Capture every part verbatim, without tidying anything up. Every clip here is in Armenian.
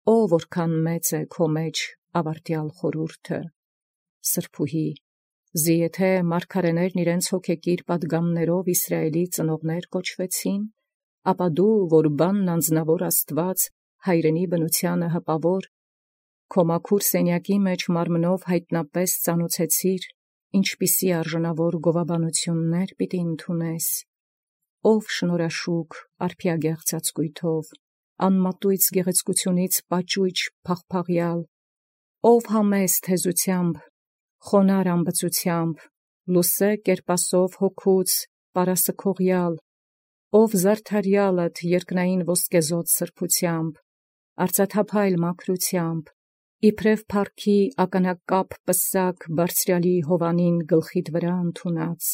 Ո որքան մեծ է քո մեջ ավարտյալ խորհուրդը, սրբուհի, զիեթե մարգարեներն իրենց հոգեկիր պատգամներով Իսրայելի ծնողներ կոչվեցին, ապա դու, որ բանն անձնավոր Աստված, հայրենի բնութեանը հպավոր, քո մաքուր սենյակի մեջ մարմնով հայտնապես ծանուցեցիր, ինչպիսի արժանավոր գովաբանություններ պիտի ընդունես, ով շնորհաշուք արփիագեղ ծածկույթով, անմատույց գեղեցկությունից պաճույճ փաղփաղյալ, ով համեստ հեզությամբ, խոնար ամբծությամբ, լուսե կերպասով հոգուց պարասքողյալ, ով զարդարյալդ երկնային ոսկեզօծ սրբությամբ, արծաթափայլ մաքրությամբ, իբրև փառքի ականակապ պսակ բարձրյալի հովանին գլխիդ վրա ընդունած,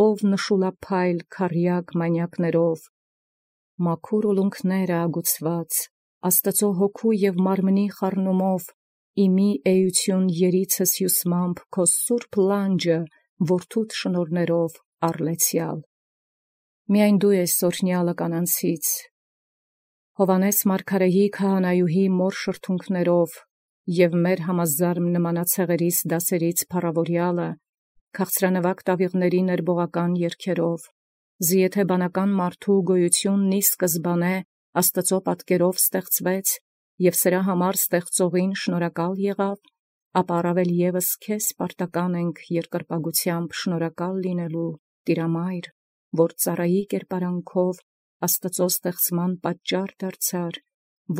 ով նշուլափայլ քառյակ մանյակներով, մաքուր ուլունքները ագուցված, Աստծո հոգու և մարմնի խառնումով, իմի էություն երիցս հյուսմամբ քո սուրբ լանջը որդուդ շնորներով առլեցյալ։ Միայն դու ես օրհնյալը կանանցից, Հովանես մարգարեի քահանայուհի մոր շրթունքներով և մեր համազարմ նմանացեղերիս դասերից փառավորյալը, քաղցրանվակ տավիղների ներբողական երգերով, զիեթե բանական մարդու գոյությունն ի սկզբանե Աստծո պատկերով ստեղծվեց և սրա համար ստեղծողին շնորհակալ եղավ, ապա առավել ևս քեզ պարտական ենք երկրպագությամբ շնորհակալ լինելու, Տիրամայր, որ ծառայի կերպարանքով Աստծո ստեղծման պատճառ դարձար,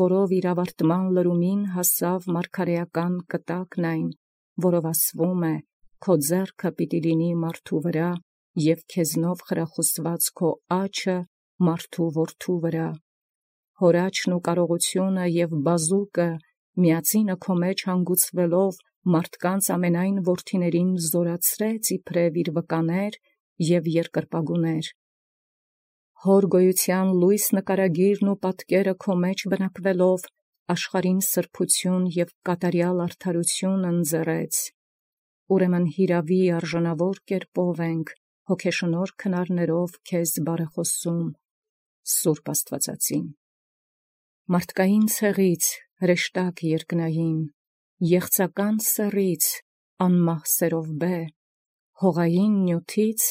որով իր ավարտման լրումին հասավ մարգարեական կտակն այն, որով ասվում է. «Քո ձեռքը պիտի լինի մարդու վրա, և քեզնով խրախուսված քո աջը մարդու որդու վրա»։ Հորաչն ու կարողությունը և բազուկը միածինը քո մեջ հանգուցվելով մարդկանց ամենայն որդիներին զորացրեց իբրև իր վկաներ և երկրպագուներ։ Հոր գոյության լույս նկարագիրն ու պատկերը քո մեջ բնակվելով աշխարհին սրբություն և կատարյալ արդարություն ընձեռեց։ Ուրեմն հիրավի արժանավոր կերպով ենք հոգեշնորհ քնարներով քեզ բարեխոսում, Սուրբ Աստվածածին։ Մարդկային ցեղից հրեշտակ երկնային, եղծական սեռից անմահ սերովբե, հողային նյութից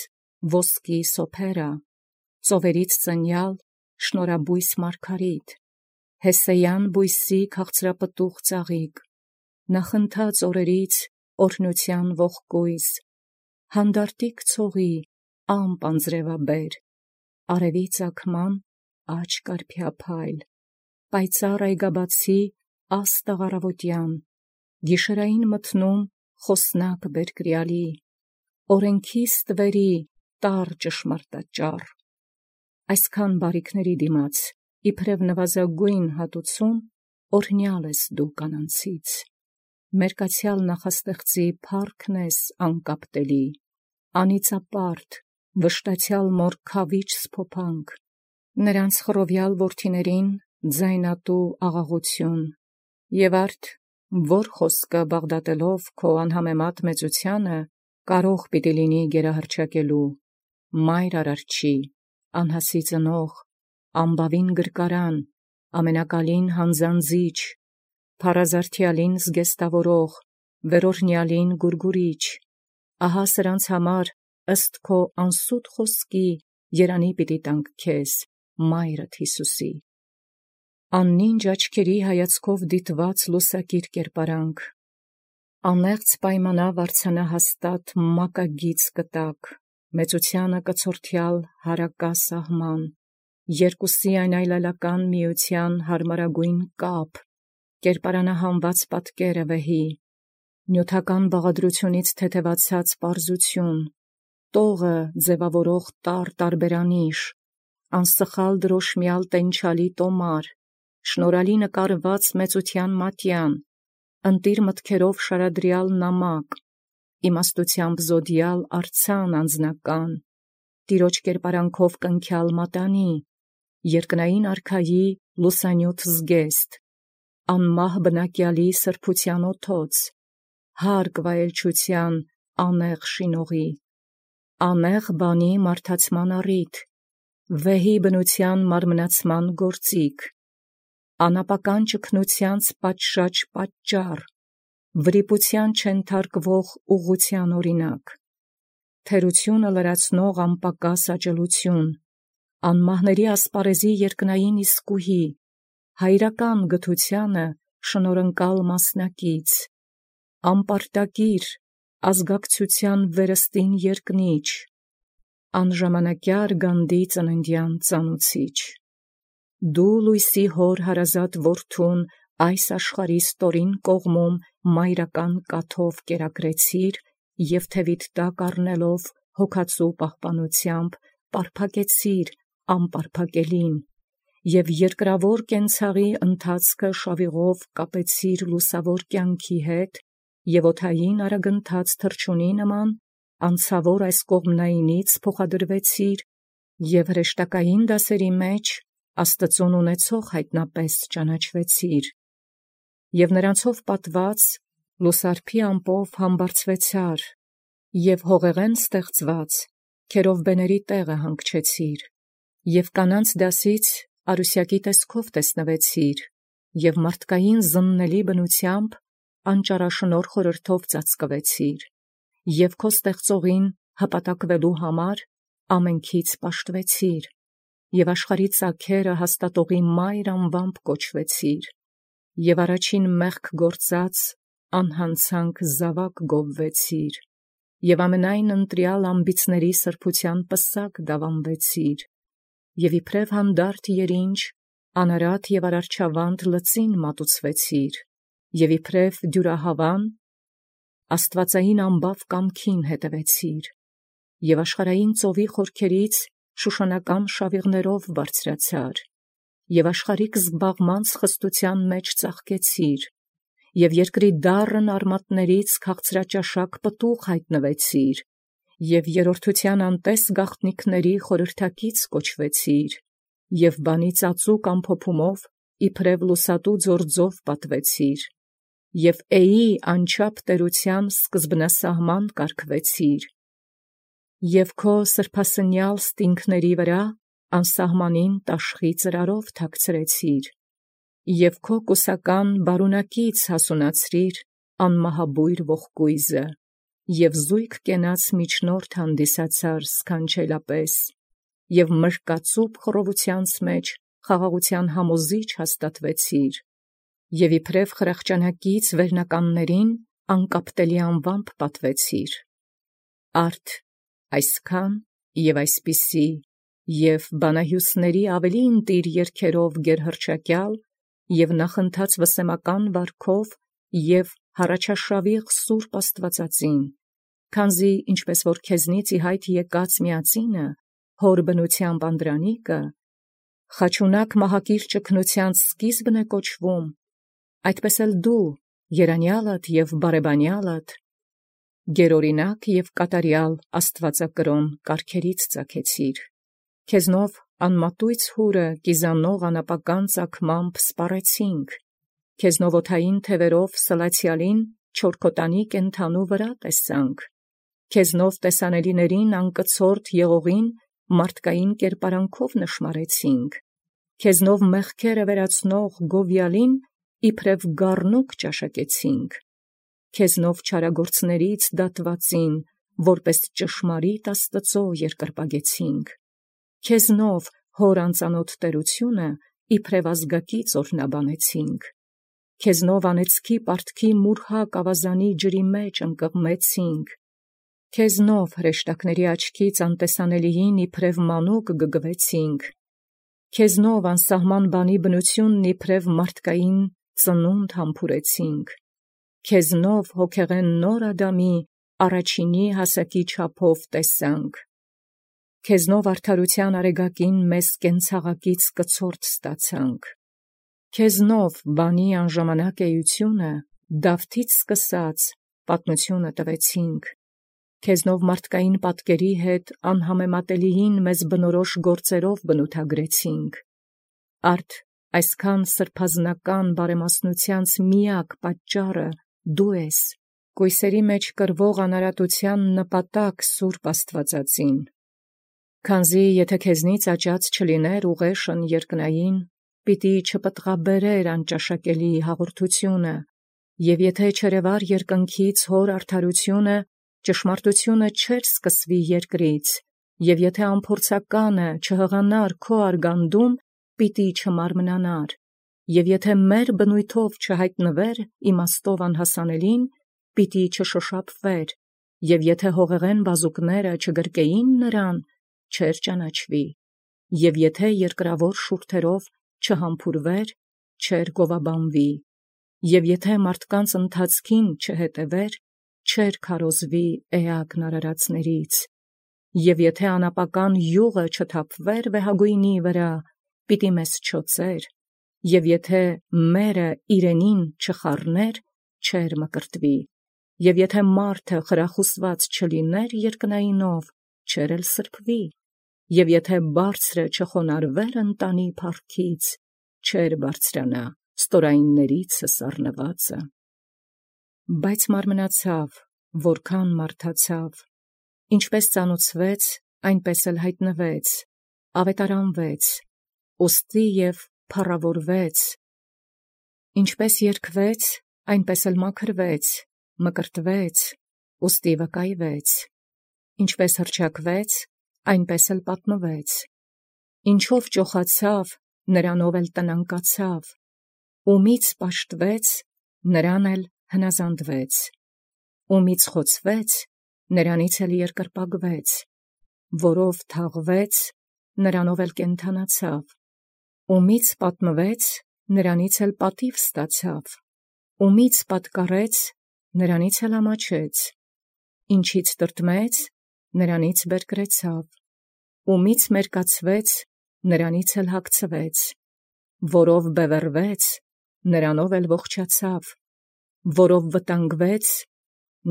ոսկի սոփերա, ծովերից ծնյալ շնորհաբույս մարգարիտ, հեսեյան բույսի քաղցրապտուղ ծաղիկ, նախընթաց օրերից օրհնության ողկույզ, հանդարտիկ ցողի ամպ անձրևաբեր, արևի ծագման աջ կարփյափայլ, պայծառ այգաբացի աստղ առավոտյան, գիշերային մթնում խոսնակ բերկրյալի, օրենքի ստվերի տառ ճշմարտաճառ, այսքան բարիքների դիմաց, իբրև նվազագույն հատուցում, օրհնյալ ես դու կանանցից, մերկացյալ նախաստեղծի փառքն ես անկապտելի, անիծապարտ, վշտացյալ մոր քավիճ սփոփանք, նրանց խռովյալ որդիներին ձայնատու աղաղություն, և արդ որ խոսքը բաղդատելով քո անհամեմատ մեծությանը կարող պիտի լինի գերահռչակելու, մայր արարչի, անհասի ծնող, ամբավին գրկարան, ամենակալին հանձանձիչ, փառազարդյալին զգեստավորող, վերօրհնյալին գուրգուրիչ, ահա սրանց համար ըստ քո անսուտ խոսքի երանի պիտի տանք քեզ, մայրդ Յիսուսի։ Աննինջ աչքերի հայացքով դիտված լուսակիր կերպարանք, անեղծ պայմանավ արձանահաստատ մակագիծ կտակ, մեծությանը կցորդյալ հարակա սահման, երկուսի այն այլայլական միության հարմարագույն կապ, կերպարանահանված պատկերը վեհի, նյութական բաղադրությունից թեթևացած պարզություն, տողը ձևավորող տառ տարբերանիշ, անսխալ դրոշմյալ տենչալի տոմար, շնորհալի նկարված մեծության մատյան, ընտիր մտքերով շարադրյալ նամակ, իմաստությամբ զոդյալ արձան անձնական, տիրոջ կերպարանքով կնքյալ մատանի, երկնային արքայի լուսանյութ զգեստ, անմահ բնակյալի սրբության օդոց, հարգ վայելչության անեղ շինողի, անեղ բանի մարդացման առիթ, վեհի բնության մարմնացման գործիք, անապական ճգնութեանց պատշաճ պատճառ, վրիպութեան չենթարկվող ուղղութեան օրինակ, թերությունը լրացնող անպակաս աջելություն, անմահների ասպարեզի երկնային իսկուհի, հայրական գթությանը շնորհընկալ մասնակից, անպարտակիր ազգակցության վերստին երկնիչ, անժամանակյար գանդի ծննդյան ծանուցիչ, դու լույսի հոր հարազատ որդուն այս աշխարհի ստորին կողմում մայրական կաթով կերակրեցիր և թևիդ տակ առնելով հոգացու պահպանությամբ պարփակեցիր անպարփակելին և երկրավոր կենցաղի ընթացքը շավիղով կապեցիր լուսավոր կյանքի հետ և օդային արագընթաց թռչունի նման անցավոր այս կողմնայինից փոխադրվեցիր և հրեշտակային դասերի մեջ Աստծուն ունեցող հայտնապես ճանաչվեցիր և նրանցով պատված լուսարփի ամպով համբարձվեցար և հողեղեն ստեղծված քերովբեների տեղը հանգչեցիր և կանանց դասից արուսյակի տեսքով տեսնվեցիր և մարդկային զննելի բնությամբ անճարաշնորհ խորհրդով ծածկվեցիր և քո ստեղծողին հպատակվելու համար ամենքից պաշտվեցիր և աշխարհի ծագերը հաստատողի մայր անվամբ կոչվեցիր և առաջին մեղք գործած անհանցանք զավակ գովվեցիր և ամենայն ընտրյալ ամբիցների սրբության պսակ դավանվեցիր և իբրև հանդարտ երինջ անարատ և արարչավանդ լծին մատուցվեցիր և իբրև դյուրահավան աստվածային ամբավ կամքին հետևեցիր և աշխարհային ծովի խորքերից շուշանական շավիղներով բարձրացար և աշխարհիկ զբաղմանց խստության մեջ ծաղկեցիր և երկրի դառն արմատներից քաղցրաճաշակ պտուղ հայտնվեցիր և երրորդության անտես գաղտնիքների խորհրդակից կոչվեցիր և բանի ծածուկ ամփոփումով իբրև լուսատու ձորձով պատվեցիր և էի անչափ տերության սկզբնասահման կարգվեցիր և քո սրբասնյալ ստինգների վրա անսահմանին տաշխի ծրարով թաքցրեցիր և քո կուսական բարունակից հասունացրիր անմահաբույր ողկույզը և զույգ կենաց միջնորդ հանդիսացար սքանչելապես և մրկածուփ խռովութեանց մեջ խաղաղության համոզիչ հաստատվեցիր և իբրև խրախճանակից վերնականներին անկապտելի անվամբ պատվեցիր, արդ այսքան և այսպիսի և բանահյուսների ավելի ընտիր երգերով գերհռչակյալ և նախընթաց վսեմական վարքով և հառաջաշավիղ սուրբ աստվածածին, քանզի ինչպես որ քեզնից ի հայտ եկած միածինը հոր բնությամբ անդրանիկը խաչունակ մահակիր ճգնութեանց սկիզբն է կոչվում, այդպես էլ դու երանյալդ և բարեբանյալդ գերօրինակ և կատարյալ աստվածակրոն կարգերից ծագեցիր, քեզնով անմատույց հուրը կիզանող անապական ծագմամբ սպառեցինք, քեզնով օդային թևերով սլացյալին չորքոտանի կենդանու վրա տեսանք, քեզնով տեսանելիներին անկցորդ եղողին մարդկային կերպարանքով նշմարեցինք, քեզնով մեղքերը վերացնող գովյալին իբրև գառնուկ ճաշակեցինք, քեզնով չարագործներից դատվածին որպես ճշմարիտ Աստծո երկրպագեցինք, քեզնով հոր անծանոթ տերությունը իբրև ազգակից օրհնաբանեցինք, քեզնով անեծքի պարտքի մուրհակ ավազանի ջրի մեջ ընկղմեցինք, քեզնով հրեշտակների աչքից անտեսանելիին իբրև մանուկ գգվեցինք, քեզնով անսահման բանի բնությունն իբրև մարդկային ծնունդ համբուրեցինք, քեզնով հոգեղեն նոր Ադամի առաջինի հասակի չափով տեսանք, քեզնով արդարության արեգակին մեզ կենցաղակից կցորդ ստացանք, քեզնով բանի անժամանակ էությունը Դավթից սկսած պատմությունը տվեցինք, քեզնով մարդկային պատկերի հետ անհամեմատելիին մեզ բնորոշ գործերով բնութագրեցինք, արդ այսքան սրբազնական բարեմասնութեանց միակ պատճառը դու ես, կույսերի մեջ կրվող անարատության նպատակ սուրբ աստվածածին, քանզի եթե քեզնից աճած չլիներ ուղեշն երկնային, պիտի չպտղաբերեր անճաշակելի հաղորդությունը, և եթե չերևար երկնքից հոր արդարությունը, ճշմարտությունը չէր սկսվի երկրից, և եթե ամփորձականը չհղանար քո արգանդում, պիտի չմարմնանար, և եթե մեր բնույթով չհայտնվեր իմաստով անհասանելին, պիտի չշոշափվեր, և եթե հողեղեն բազուկները չգրկեին նրան, չէր ճանաչվի, և եթե երկրավոր շուրթերով չհամբուրվեր, չէր գովաբանվի, և եթե մարդկանց ընթացքին չհետևեր, չէր քարոզվի էակն արարածներից, և եթե անապական յուղը չթափվեր վեհագույնի վրա, պիտի մեզ չոցեր, և եթե մերը իրենին չխառներ, չէր մկրտվի, և եթե մարդը խրախուսված չլիներ երկնայինով, չէր էլ սրբվի, և եթե բարձրը չխոնարհվեր ընտանի փառքից, չէր բարձրանա ստորայիններիցս առնվածը։ Բայց մարմնացավ, որքան մարդացավ, ինչպես ծանուցվեց, այնպես էլ հայտնվեց, ավետարանվեց, ուստի և փառավորվեց, ինչպես երգվեց, այնպես էլ մաքրվեց, մկրտվեց, ուստի վկայվեց, ինչպես հռչակվեց, այնպես էլ պատմվեց, ինչով ճոխացավ, նրանով էլ տնանկացավ, ումից պաշտվեց, նրան էլ հնազանդվեց, ումից խոցվեց, նրանից էլ երկրպագվեց, որով թաղվեց, նրանով էլ կենդանացավ, ումից պատմվեց, նրանից էլ պատիվ ստացավ, ումից պատկառեց, նրանից էլ ամաչեց, ինչից տրտմեց, նրանից բերկրեցավ, ումից մերկացվեց, նրանից էլ հագցվեց, որով բևեռվեց, նրանով էլ ողջացավ, որով վտանգվեց,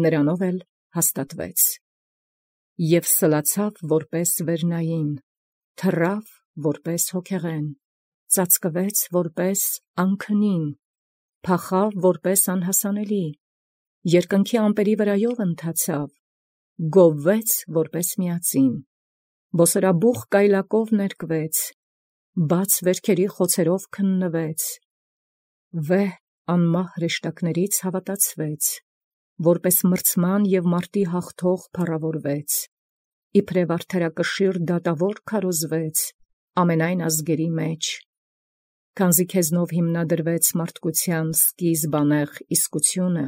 նրանով էլ հաստատվեց, և սլացավ որպես վերնային, թռավ որպես հոգեղեն, ծածկվեց որպես անքնին, փախավ որպես անհասանելի, երկնքի ամպերի վրայով ընթացավ, գովվեց որպես միածին, բոսորաբուխ գայլակով ներկվեց, բաց վերքերի խոցերով քննվեց, վեհ անմահ հրեշտակներից հավատացվեց, որպես մրցման և մարտի հաղթող փառավորվեց, իբրև արդարակշիռ դատավոր քարոզվեց ամենայն ազգերի մեջ, քանզի քեզնով հիմնադրվեց մարդկության սկիզբանեղ իսկությունը,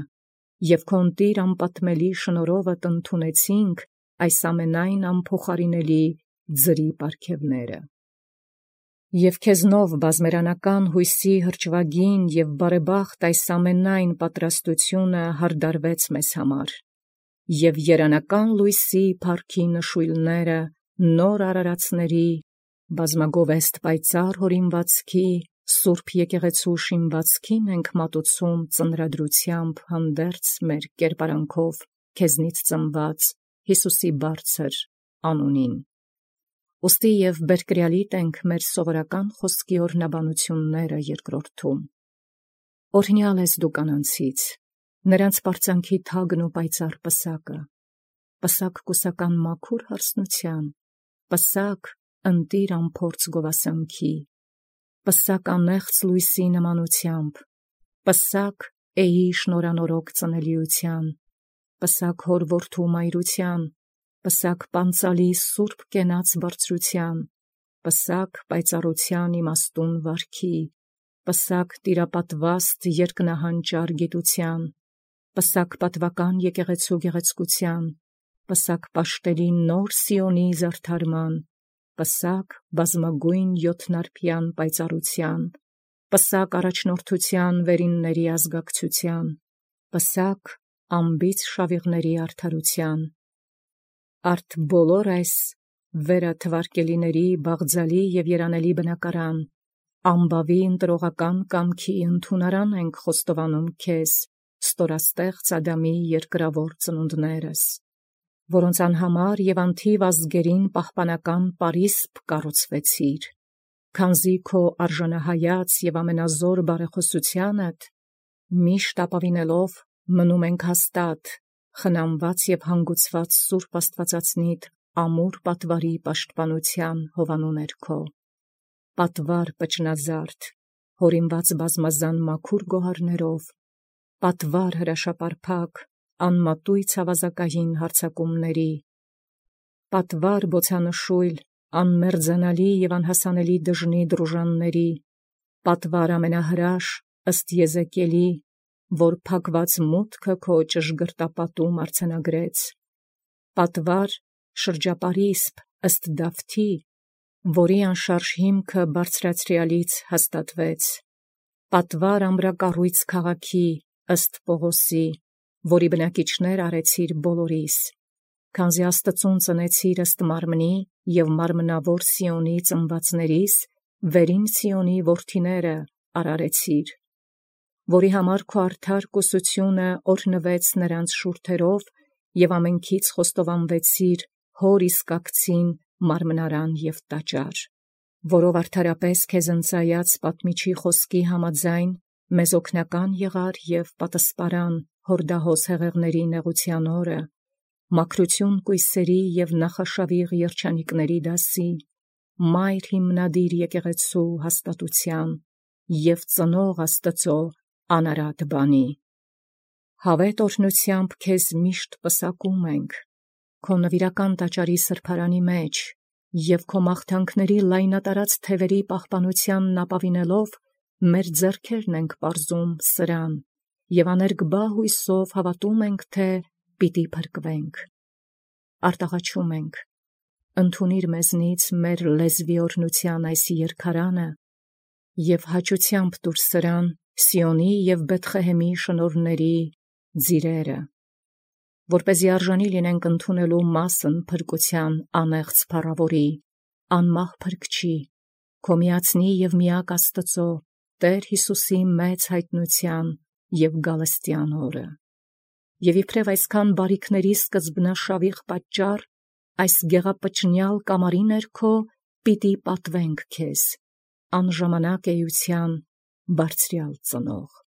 և քո ընտիր անպատմելի շնորհովդ ընդունեցինք այս ամենայն անփոխարինելի ձրի պարգևները։ Եվ քեզնով բազմերանական հույսի հրճվագին և բարեբախտ այս ամենայն պատրաստությունը հարդարվեց մեզ համար, և երանական լույսի փառքի նշույլները նոր արարածների, բազմագովեստ պայծառ հորինվածքի, սուրբ եկեղեցու շինվածքին ենք մատուցում ծնրադրությամբ հանդերձ մեր կերպարանքով քեզնից ծնված Հիսուսի բարձր անունին։ Ուստի և բերկրյալիտ ենք մեր սովորական խոսքի օրհնաբանությունները երկրորդում։ Օրհնյալ ես դու կանանցից, նրանց պարծանքի թագն ու պայծառ պսակը, պսակ կուսական մաքուր հարսնության, պսակ ընտիր անփորձ գովասանքի, պսակ անեղծ լույսի նմանությամբ, պսակ էի շնորանորոգ ծնելիության, պսակ հոր որդու մայրության, պսակ պանծալի սուրբ կենաց բարձրության, պսակ պայծառության իմաստուն վարքի, պսակ տիրապատվաստ երկնահանճար գիտության, պսակ պատվական եկեղեցու գեղեցկության, պսակ պաշտելի նոր Սիոնի զարդարման, պսակ բազմագույն յոթնարբյան պայծառության, պսակ առաջնորդության վերինների ազգակցության, պսակ անբիծ շավիղների արդարության, արդ բոլոր այս վերը թվարկելիների բաղձալի և երանելի բնակարան, ամբավի ընտրողական կամքի ընդունարան ենք խոստովանում քեզ, ստորաստեղծ Ադամի երկրավոր ծնունդներս, որոնց անհամար և անթիվ ազգերին պահպանական պարիսպ կառուցվեցիր, քանզի քո արժանահայաց և ամենազոր բարեխոսությանդ միշտ ապավինելով մնում ենք հաստատ, խնամված և հանգուցված սուրբ աստվածածնիդ ամուր պատվարի պաշտպանության հովանու ներքո։ պատվար պճնազարդ, հորինված բազմազան մաքուր գոհարներով, պատվար հրաշապարփակ, անմատույց ավազակային հարձակումների, պատվար բոցանշույլ, անմերձանալի և անհասանելի դժնի դրուժանների, պատվար ամենահրաշ ըստ Եզեկիելի, որ փակված մուտքը քո ճշգրտապատում արձանագրեց, պատվար շրջապարիսպ ըստ Դավթի, որի անշարժ հիմքը բարձրացրյալից հաստատվեց, պատվար ամրակառույց քաղաքի ըստ Պողոսի, որի բնակիչներ արեցիր բոլորիս, քանզի Աստծուն ծնեցիր ըստ մարմնի և մարմնավոր Սիոնի ծնվածներիս վերին Սիոնի որդիները արարեցիր, որի համար քո արդար կուսությունը օրհնվեց նրանց շուրթերով և ամենքից խոստովանվեցիր հոր իսկակցին մարմնարան և տաճար, որով արդարապես քեզ ընծայած պատմիչի խոսքի համաձայն մեզ օգնական եղար և պատսպարան հորդահոս հեղեղների նեղության օրը, մաքրություն կույսերի և նախաշավիղ երջանիկների դասի, մայր հիմնադիր եկեղեցու հաստատության և ծնող Աստծո անարատ բանի։ Հավետ օրհնությամբ քեզ միշտ պսակում ենք, քո նվիրական տաճարի սրբարանի մեջ և քո մաղթանքների լայնատարած թևերի պահպանությանն ապավինելով մեր ձեռքերն ենք պարզում սրան և աներկբա հույսով հավատում ենք, թե պիտի փրկվենք։ Արտաղաչում ենք, ընդունիր մեզնից մեր լեզվի օրհնության այս երգարանը և հաճությամբ տուր սրան Սիոնի և Բեթխեհեմի շնորհների ձիրերը, որպեսզի արժանի լինենք ընդունելու մասն փրկության անեղծ փառավորի, անմահ փրկչի, քո միածնի և միակ Աստծո Տեր Հիսուսի մեծ հայտնության և գալստյան օրը։ Եվ իբրև այսքան բարիքների սկզբնաշավիղ պատճառ, այս գեղապճնյալ կամարի ներքո պիտի պատվենք քեզ, անժամանակ էության բարձրյալ ծնող։